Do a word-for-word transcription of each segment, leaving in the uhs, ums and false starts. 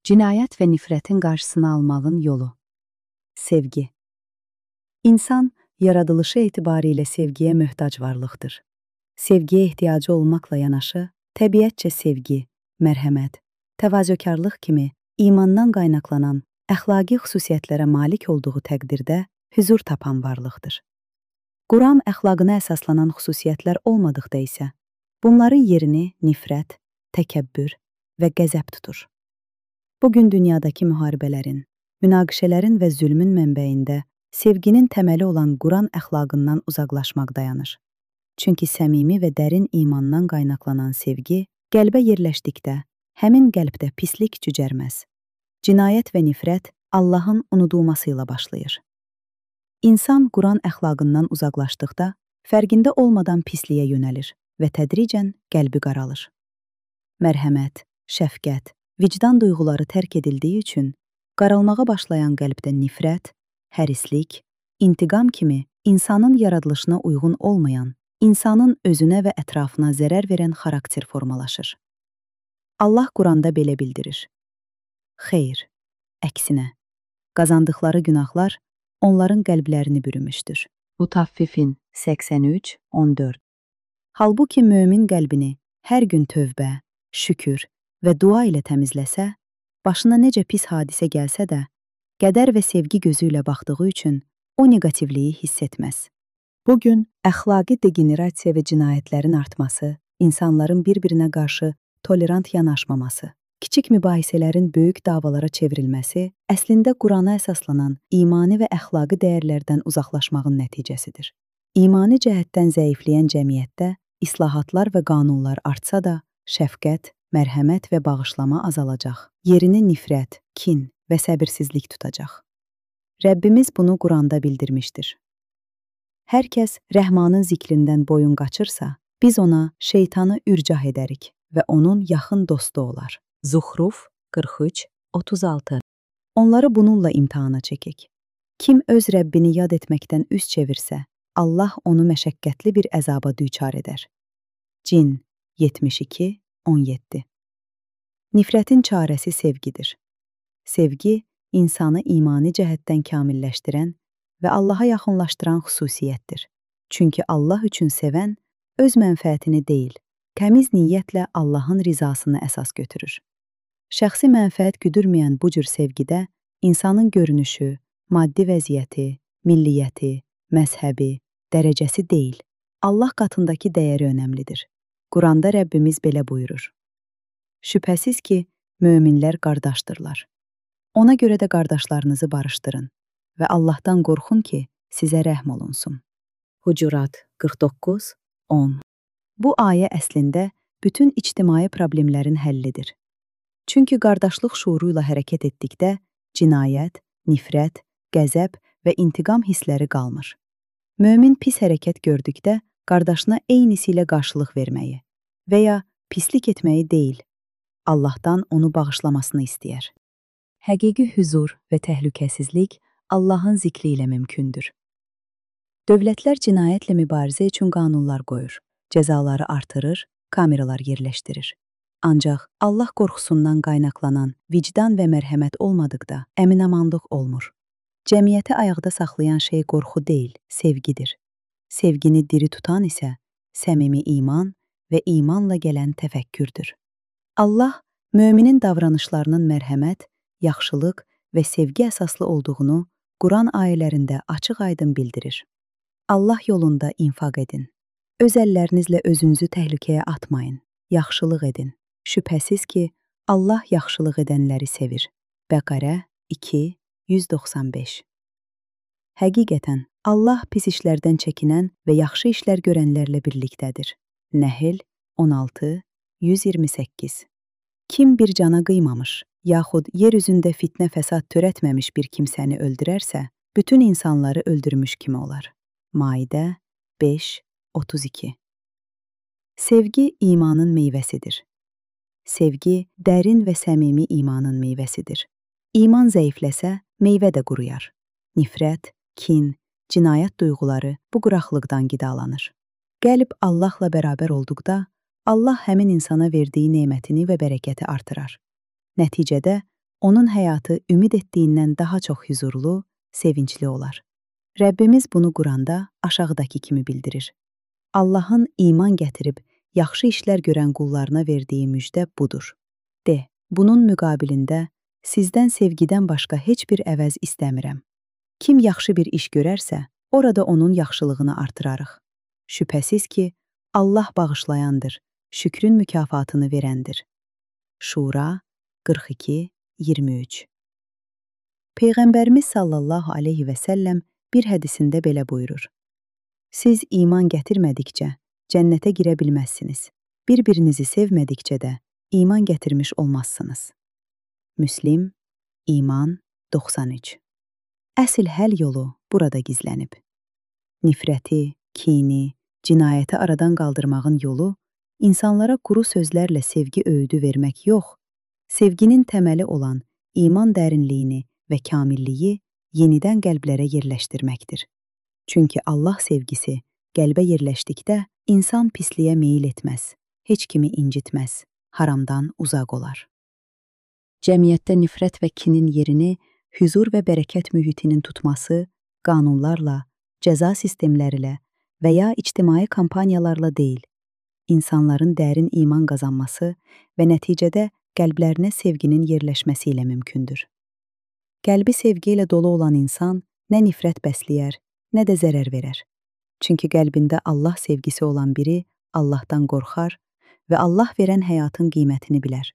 Cinayət və nifrətin qarşısını almağın yolu. Sevgi. İnsan, yaradılışı etibarilə sevgiyə möhtac varlıqdır. Sevgiyə ehtiyacı olmaqla yanaşı, təbiətcə sevgi, mərhəmət, təvazökarlıq kimi imandan qaynaqlanan əxlaqi xüsusiyyətlərə malik olduğu təqdirdə hüzur tapan varlıqdır. Quran əxlaqına əsaslanan xüsusiyyətlər olmadıqda isə, bunların yerini nifrət, təkəbbür və qəzəb tutur. Bugün dünyadakı müharibələrin, münaqişələrin və zülmün mənbəyində sevginin təməli olan Quran əxlaqından uzaqlaşmaq dayanır. Çünki səmimi və dərin imandan qaynaqlanan sevgi, qəlbə yerləşdikdə, həmin qəlbdə pislik cücərməz. Cinayət və nifrət Allahın unudulması ilə başlayır. İnsan Quran əxlaqından uzaqlaşdıqda, fərqində olmadan pisliyə yönəlir və tədricən qəlbi qaralır. Mərhəmət, şəfqət, vicdan duyğuları tərk edildiyi üçün, qaralmağa başlayan qəlbdə nifrət, hərislik, intiqam kimi insanın yaradılışına uyğun olmayan, insanın özünə və ətrafına zərər verən xarakter formalaşır. Allah Quranda belə bildirir. Xeyr, əksinə, qazandıqları günahlar onların qəlblərini bürümüşdür. Mutaffifin səksən üç on dörd. Halbuki mömin qəlbini hər gün tövbə, şükür və dua ilə təmizləsə, başına necə pis hadisə gəlsə də, qədər və sevgi gözü ilə baxdığı üçün o negativliyi hiss etməz. Bugün əxlaqi degenerasiya və cinayətlərin artması, insanların bir-birinə qarşı tolerant yanaşmaması, kiçik mübahisələrin böyük davalara çevrilməsi əslində Qurana əsaslanan imani və əxlaqi dəyərlərdən uzaqlaşmağın nəticəsidir. İmani cəhətdən zəifləyən cəmiyyətdə islahatlar və qanunlar artsa da, şəfqət, mərhəmət və bağışlama azalacaq. Yerini nifrət, kin və səbirsizlik tutacaq. Rəbbimiz bunu Quranda bildirmişdir. Hər kəs Rəhmanın zikrindən boyun qaçırsa, biz ona şeytanı ürcah edərik və onun yaxın dostu olar. Zuhruf qırx üç otuz altı. Onları bununla imtihana çəkək. Kim öz Rəbbini yad etməkdən üz çevirsə, Allah onu məşəqqətli bir əzaba düçar edər. Cin yetmiş iki on yeddi. Nifrətin çarəsi sevgidir. Sevgi, insanı imani cəhətdən kamilləşdirən və Allaha yaxınlaşdıran xüsusiyyətdir. Çünki Allah üçün sevən, öz mənfəətini deyil, təmiz niyyətlə Allahın rizasını əsas götürür. Şəxsi mənfəət güdürməyən bu cür sevgidə insanın görünüşü, maddi vəziyyəti, milliyyəti, məzhəbi, dərəcəsi deyil, Allah qatındakı dəyəri önəmlidir. Quranda Rəbbimiz belə buyurur. Şübhəsiz ki, möminlər qardaşdırlar. Ona görə də qardaşlarınızı barışdırın və Allahdan qorxun ki, sizə rəhm olunsun. Hucurat qırx doqquz on. Bu ayə əslində bütün ictimai problemlərin həllidir. Çünki qardaşlıq şuuru ilə hərəkət etdikdə cinayət, nifrət, qəzəb və intiqam hissləri qalmır. Mömin pis hərəkət gördükdə qardaşına eynisi ilə qarşılıq verməyi və ya pislik etməyi deyil, Allahdan onu bağışlamasını istəyər. Həqiqi hüzur və təhlükəsizlik Allahın zikri ilə mümkündür. Dövlətlər cinayətlə mübarizə üçün qanunlar qoyur, cəzaları artırır, kameralar yerləşdirir. Ancaq Allah qorxusundan qaynaqlanan vicdan və mərhəmət olmadıqda əminamanlıq olmur. Cəmiyyəti ayaqda saxlayan şey qorxu deyil, sevgidir. Sevgini diri tutan isə səmimi iman və imanla gələn təfəkkürdür. Allah möminin davranışlarının mərhəmət, yaxşılıq və sevgi əsaslı olduğunu Quran ayələrində açıq-aydın bildirir. Allah yolunda infaq edin. Öz əllərinizlə özünüzü təhlükəyə atmayın. Yaxşılıq edin. Şübhəsiz ki, Allah yaxşılıq edənləri sevir. Bəqərə iki yüz doxsan beş. Həqiqətən, Allah pis işlərdən çəkinən və yaxşı işlər görənlərlə birlikdədir. Nəhl on altı yüz iyirmi səkkiz. Kim bir cana qıymamış, yaxud yer üzündə fitnə fəsad törətməmiş bir kimsəni öldürərsə, bütün insanları öldürmüş kimi olar. Maidə beş otuz iki. Sevgi imanın meyvəsidir. Sevgi dərin və səmimi imanın meyvəsidir. İman zəifləsə, meyvə də quruyar. Nifrət, kin, cinayət duyğuları bu quraqlıqdan qidalanır. Qəlb Allahla bərabər olduqda, Allah həmin insana verdiyi nemətini və bərəkəti artırar. Nəticədə onun həyatı ümid etdiyindən daha çox huzurlu, sevincli olar. Rəbbimiz bunu Quranda aşağıdakı kimi bildirir. Allahın iman gətirib, yaxşı işlər görən qullarına verdiyi müjdə budur. De, bunun müqabilində sizdən sevgidən başqa heç bir əvəz istəmirəm. Kim yaxşı bir iş görərsə, orada onun yaxşılığını artırarıq. Şübhəsiz ki, Allah bağışlayandır, şükrün mükafatını verəndir. Şura qırx iki iyirmi üç. Peyğəmbərimiz sallallahu aleyhi və səlləm bir hədisində belə buyurur. Siz iman gətirmədikcə cənnətə girə bilməzsiniz. Bir-birinizi sevmədikcə də iman gətirmiş olmazsınız. Müslim, İman doxsan üç. Əsl həll yolu burada gizlənib. Nifrəti, kini, cinayəti aradan qaldırmağın yolu insanlara quru sözlərlə sevgi öyüdü vermək yox, sevginin təməli olan iman dərinliyini və kamilliyi yenidən qəlblərə yerləşdirməkdir. Çünki Allah sevgisi qəlbə yerləşdikdə insan pisliyə meyil etməz, heç kimi incitməz, haramdan uzaq olar. Cəmiyyətdə nifrət və kinin yerini huzur və bərəkət mühitinin tutması qanunlarla, cəza sistemləri ilə və ya ictimai kampaniyalarla deyil, insanların dərin iman qazanması və nəticədə qəlblərinə sevginin yerləşməsi ilə mümkündür. Qəlbi sevgi ilə dolu olan insan nə nifrət bəsləyər, nə də zərər verər. Çünki qəlbində Allah sevgisi olan biri Allahdan qorxar və Allah verən həyatın qiymətini bilər,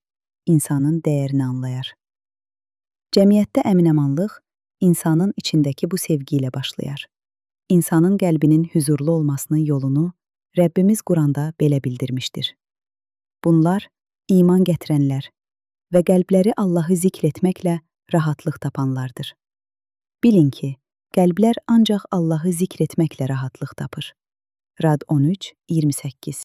insanın dəyərini anlayar. Cəmiyyətdə əminəmanlıq insanın içindəki bu sevgi ilə başlayar. İnsanın qəlbinin huzurlu olmasının yolunu Rəbbimiz Quranda belə bildirmişdir. Bunlar iman gətirənlər və qəlbləri Allahı zikr etməklə rahatlıq tapanlardır. Bilin ki, qəlblər ancaq Allahı zikr etməklə rahatlıq tapır. Rad on üç iyirmi səkkiz.